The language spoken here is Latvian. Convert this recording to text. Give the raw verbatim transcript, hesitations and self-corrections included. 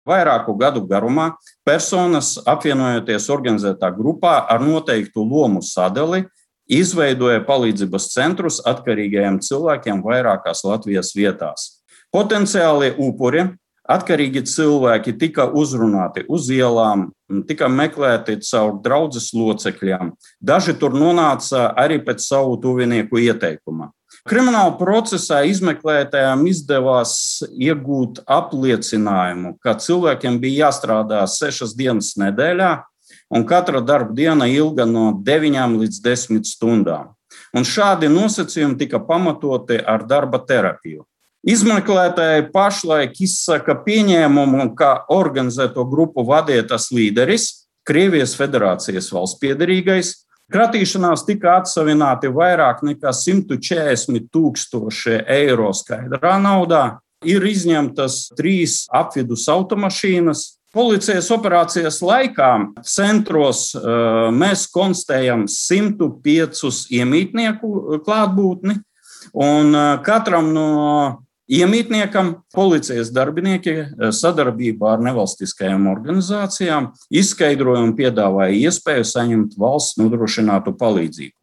Vairāku gadu garumā personas, apvienojoties organizētā grupā ar noteiktu lomu sadali, izveidoja palīdzības centrus atkarīgajiem cilvēkiem vairākās Latvijas vietās. Potenciālie upuri, atkarīgi cilvēki tika uzrunāti uz ielām, tika meklēti caur draudzes locekļiem. Daži tur nonāca arī pēc savu tuvinieku ieteikuma. Krimināla procesā izmeklētājiem izdevās iegūt apliecinājumu, ka cilvēkiem bija jāstrādā sešas dienas nedēļā, un katra darba diena ilga no deviņām līdz desmit stundām. Un šādi nosacījumi tika pamatoti ar darba terapiju. Izmeklētāji pašlaik izsaka pieņēmumu, ka organizēto grupu vadīja tas līderis, Krievijas Federācijas valsts piederīgais. Kratīšanās tika atsavināti vairāk nekā simt četrdesmit tūkstoši eiro skaidrā naudā. Ir izņemtas trīs apvidus automašīnas. Policijas operācijas laikā centros uh, mēs konstatējam simt piecus iemītnieku klātbūtni, un uh, katram no iemītniekam policijas darbinieki sadarbībā ar nevalstiskajām organizācijām izskaidroja un piedāvāja iespēju saņemt valsts nodrošinātu palīdzību.